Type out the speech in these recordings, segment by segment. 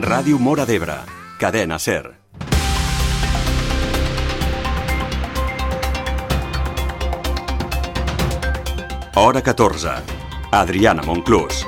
Ràdio Móra d'Ebre, Cadena SER. Hora 14. Adriana Monclús.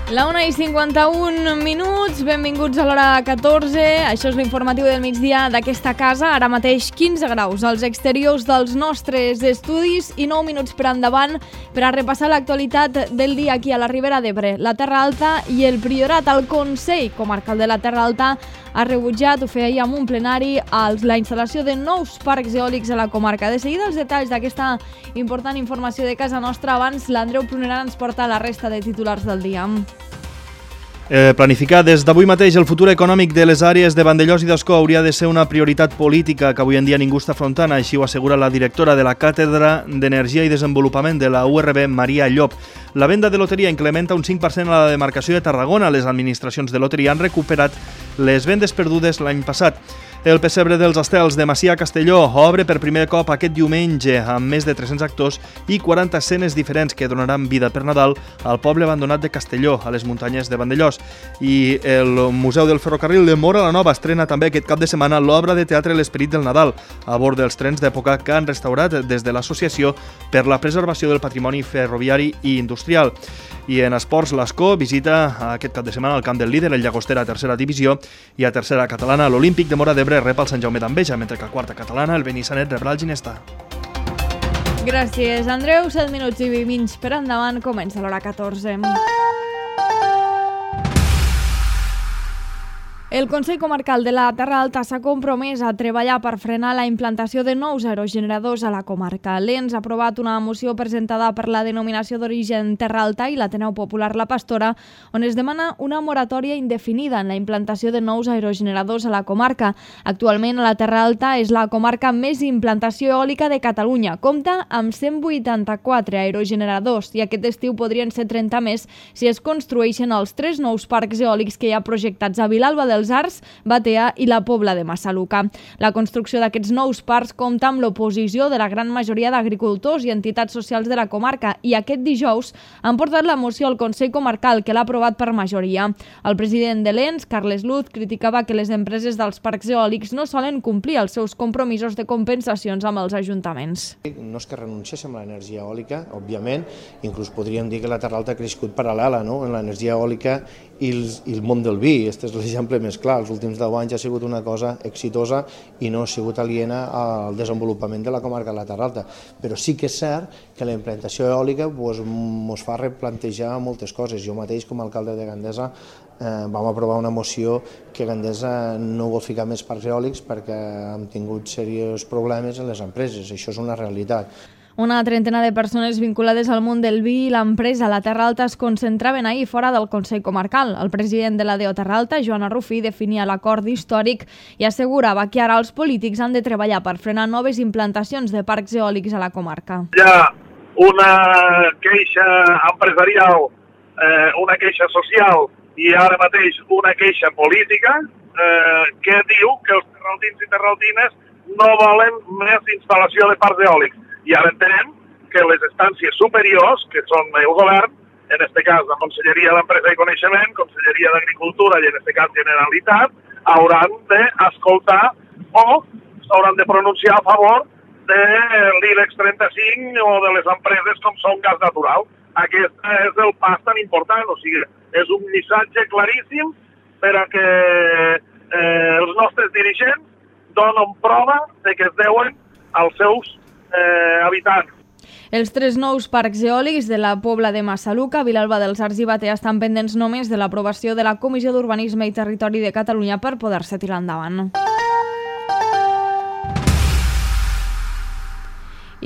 La 1:51, benvinguts a l'hora 14. Això és l'informatiu del migdia d'aquesta casa. Ara mateix 15 graus als exteriors dels nostres estudis i 9 minuts per endavant per a repassar l'actualitat del dia aquí a la Ribera d'Ebre, la Terra Alta i el Priorat. El Consell Comarcal de la Terra Alta ha rebutjat, ho feia amb un plenari, la instal·lació de nous parcs eòlics a la comarca. De seguida els detalls d'aquesta important informació de casa nostra. Abans, l'Andreu Prunerà ens porta la resta de titulars del dia. Planificar des d'avui mateix el futur econòmic de les àrees de Vandellòs i d'Ascó hauria de ser una prioritat política que avui en dia ningú està afrontant, així ho assegura la directora de la Càtedra d'Energia i Desenvolupament de la URB, Maria Llop. La venda de loteria incrementa un 5% a la demarcació de Tarragona. Les administracions de loteria han recuperat les vendes perdudes l'any passat. El pessebre dels Estels de Macià Castelló obre per primer cop aquest diumenge amb més de 300 actors i 40 escenes diferents que donaran vida per Nadal al poble abandonat de Castelló, a les muntanyes de Vandellòs. I el Museu del Ferrocarril de Móra la Nova estrena també aquest cap de setmana l'obra de teatre L'Esperit del Nadal, a bord dels trens d'època que han restaurat des de l'Associació per la Preservació del Patrimoni Ferroviari i Industrial. I en esports, l'Ascó visita aquest cap de setmana el camp del líder, el Llagostera, a tercera divisió, i a tercera catalana l'Olímpic de Móra d'Ebre rep el Sant Jaume d'Enveja, mentre que a quarta catalana el Benissanet rebrà el Ginestà. Gràcies, Andreu. 7 minuts i 20 per endavant, comença l'hora 14. El Consell Comarcal de la Terra Alta s'ha compromès a treballar per frenar la implantació de nous aerogeneradors a la comarca. L'ENS ha aprovat una moció presentada per la denominació d'origen Terra Alta i l'Ateneu Popular La Pastora, on es demana una moratòria indefinida en la implantació de nous aerogeneradors a la comarca. Actualment, la Terra Alta és la comarca amb més implantació eòlica de Catalunya. Compta amb 184 aerogeneradors i aquest estiu podrien ser 30 més si es construeixen els 3 nous parcs eòlics que hi ha projectats a Vilalba dels Arcs, Batea i la Pobla de Massaluca. La construcció d'aquests nous parcs compta amb l'oposició de la gran majoria d'agricultors i entitats socials de la comarca i aquest dijous han portat la moció al Consell Comarcal, que l'ha aprovat per majoria. El president de l'ENS, Carles Luz, criticava que les empreses dels parcs eòlics no solen complir els seus compromisos de compensacions amb els ajuntaments. No és que renunciéssim a l'energia eòlica, òbviament, inclús podríem dir que la Terra Alta ha crescut paral·lela, no?, en l'energia eòlica i el món del vi. Este és l'exemple més clar. Els últims 10 anys ha sigut una cosa exitosa i no ha sigut aliena al desenvolupament de la comarca de la Terra Alta. Però sí que és cert que la implantació eòlica ens fa replantejar moltes coses. Jo mateix, com a alcalde de Gandesa, vam aprovar una moció que Gandesa no vol ficar més parcs eòlics perquè hem tingut seriosos problemes en les empreses. Això és una realitat. Una trentena de persones vinculades al món del vi i l'empresa La Terra Alta es concentraven ahir fora del Consell Comarcal. El president de la DEO Terra Alta, Joan Arrufí, definia l'acord històric i assegurava que ara els polítics han de treballar per frenar noves implantacions de parcs eòlics a la comarca. Hi ha una queixa empresarial, una queixa social i ara mateix una queixa política que diu que els terraltins i terraltines no volen més instal·lació de parcs eòlics. I ara entenem que les instàncies superiors, que són el govern, en aquest cas la Conselleria d'Empresa i Coneixement, Conselleria d'Agricultura i en aquest cas Generalitat, hauran d'escoltar o s'hauran de pronunciar a favor de l'IBEX 35 o de les empreses com són gas natural. Aquest és el pas tan important, o sigui, és un missatge claríssim per a que els nostres dirigents donen prova de que es deuen als seus habitants. Els 3 nous parcs eòlics de la Pobla de Massaluca, Vilalba dels Arcs i Batea estan pendents només de l'aprovació de la Comissió d'Urbanisme i Territori de Catalunya per poder-se tirar endavant.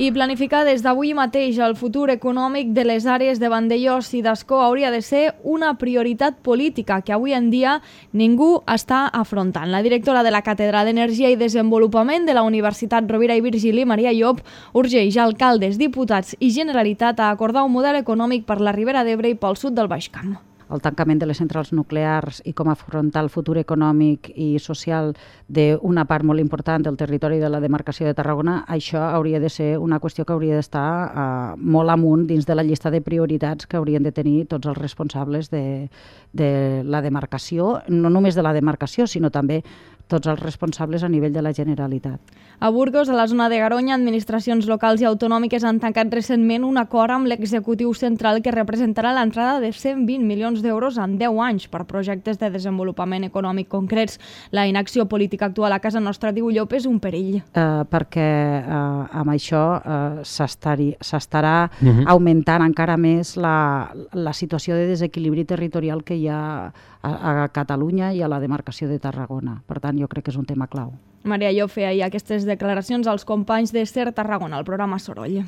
I planificar des d'avui mateix el futur econòmic de les àrees de Vandellòs i d'Ascó hauria de ser una prioritat política que avui en dia ningú està afrontant. La directora de la Càtedra d'Energia i Desenvolupament de la Universitat Rovira i Virgili, Maria Llop, urgeix alcaldes, diputats i Generalitat a acordar un model econòmic per la Ribera d'Ebre i pel sud del Baix Camp. el tancament de les centrals nuclears i com afrontar el futur econòmic i social d'una part molt important del territori de la demarcació de Tarragona, això hauria de ser una qüestió que hauria d'estar molt amunt dins de la llista de prioritats que haurien de tenir tots els responsables de la demarcació, no només de la demarcació, sinó també tots els responsables a nivell de la Generalitat. A Burgos, a la zona de Garoña, administracions locals i autonòmiques han tancat recentment un acord amb l'executiu central que representarà l'entrada de 120 milions d'euros en 10 anys per projectes de desenvolupament econòmic concrets. La inacció política actual a casa nostra, diu Llop, és un perill. Perquè amb això s'estarà augmentant encara més la situació de desequilibri territorial que hi ha a Catalunya i a la demarcació de Tarragona. Per tant, jo crec que és un tema clau. Maria Llop feia ahir aquestes declaracions als companys de SER Tarragona, al programa Soroll.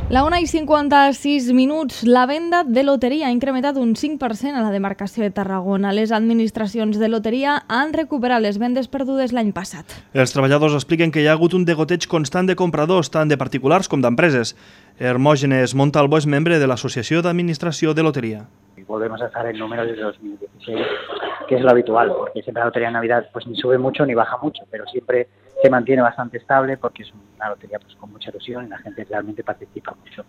La 1:56, la venda de loteria ha incrementat un 5% a la demarcació de Tarragona. Les administracions de loteria han recuperat les vendes perdudes l'any passat. Els treballadors expliquen que hi ha hagut un degoteig constant de compradors, tant de particulars com d'empreses. Hermógenes Montalvo és membre de l'Associació d'Administració de Lotería. Volvemos a estar en números de 2016, que es lo habitual, porque siempre la lotería de Navidad pues ni sube mucho ni baja mucho, pero siempre se mantiene bastante estable porque es una lotería pues con mucha ilusión y la gente realmente participa mucho.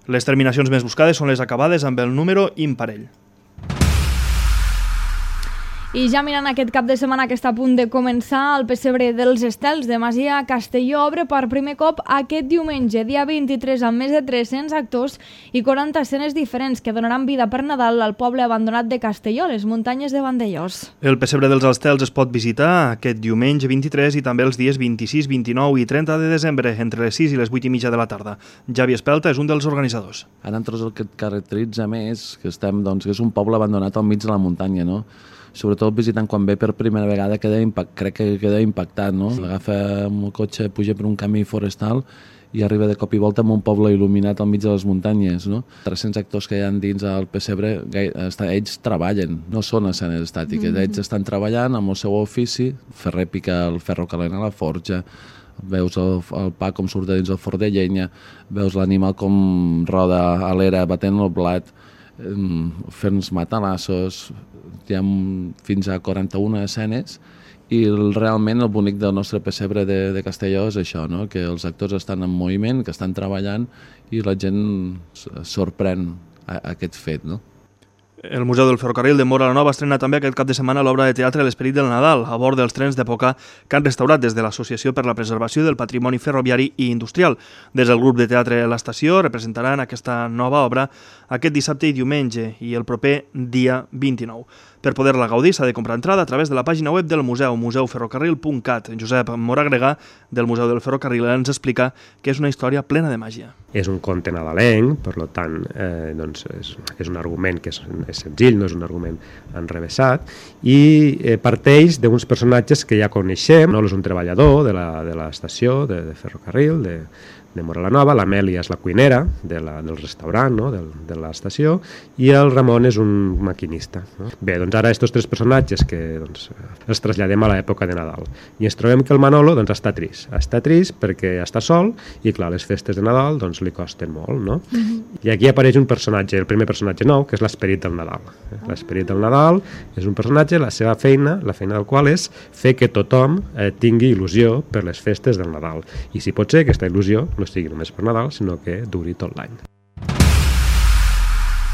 Les terminacions més buscades són les acabades amb el número imparell. I ja mirant aquest cap de setmana que està a punt de començar, el pessebre dels Estels de Masia Castelló obre per primer cop aquest diumenge, dia 23, amb més de 300 actors i 40 escenes diferents que donaran vida per Nadal al poble abandonat de Castelló, les muntanyes de Vandellòs. El pessebre dels Estels es pot visitar aquest diumenge 23 i també els dies 26, 29 i 30 de desembre, entre les 6 i les 8 i mitja de la tarda. Javi Espelta és un dels organitzadors. A nosaltres el que et caracteritza més que és un poble abandonat al mig de la muntanya, no? Sobretot visitant quan ve per primera vegada crec que queda impactat, no? Agafa amb el cotxe, puja per un camí forestal i arriba de cop i volta amb un poble il·luminat al mig de les muntanyes, no? 300 actors que hi ha dins del pessebre, ells treballen, no són escenes estàtiques, ells estan treballant amb el seu ofici, ferrer pica el ferro calent a la forja, veus el pa com surt de dins el forn de llenya, veus l'animal com roda a l'era batent el blat, fent els matalassos, hi ha fins a 41 escenes i realment el bonic del nostre pessebre de Castelló és això, no? Que els actors estan en moviment, que estan treballant i la gent sorprèn aquest fet, no? El Museu del Ferrocarril de Móra la Nova estrena també aquest cap de setmana l'obra de teatre L'Esperit del Nadal, a bord dels trens d'època que han restaurat des de l'Associació per la Preservació del Patrimoni Ferroviari i Industrial. Des del grup de teatre L'Estació representaran aquesta nova obra aquest dissabte i diumenge i el proper dia 29. Per poder-la gaudir s'ha de comprar entrada a través de la pàgina web del museu, museuferrocarril.cat. Josep Moragregà, del Museu del Ferrocarril, ens explica que és una història plena de màgia. És un conte nadalenc, per tant, és un argument que és senzill, no és un argument enrevessat, i parteix d'uns personatges que ja coneixem. Nolo és un treballador de l'estació de ferrocarril, de Móra la Nova, l'Amèlia és la cuinera del restaurant, no? de l'estació, i el Ramon és un maquinista. No? Bé, doncs ara aquests tres personatges que els traslladem a l'època de Nadal. I ens trobem que el Manolo està trist. Està trist perquè està sol i, clar, les festes de Nadal li costen molt. No? I aquí apareix un personatge, el primer personatge nou, que és l'Esperit del Nadal. L'Esperit del Nadal és un personatge, la seva feina, la feina del qual és fer que tothom tingui il·lusió per les festes del Nadal. I si pot ser, aquesta il·lusió no sigui només per Nadal, sinó que duri tot l'any.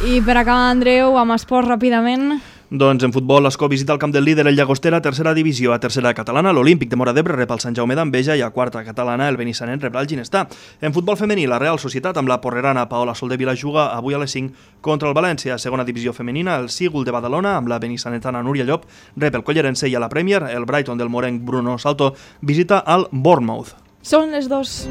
I per acabar, Andreu, amb esports ràpidament. Doncs en futbol, l'Escó visita el camp del líder, el Llagostera, a tercera divisió. A tercera catalana, l'Olímpic de Móra d'Ebre rep el Sant Jaume d'Enveja i a quarta catalana, el Benissanet rebrà el Ginestà. En futbol femení, la Real Societat amb la porrerana Paola Soldevila juga avui a les 5 contra el València. A segona divisió femenina, el Sígul de Badalona amb la benissanetana Núria Llop rep el Collerense i a la Premier, el Brighton del morenc Bruno Salto visita el Bournemouth. Són les 2.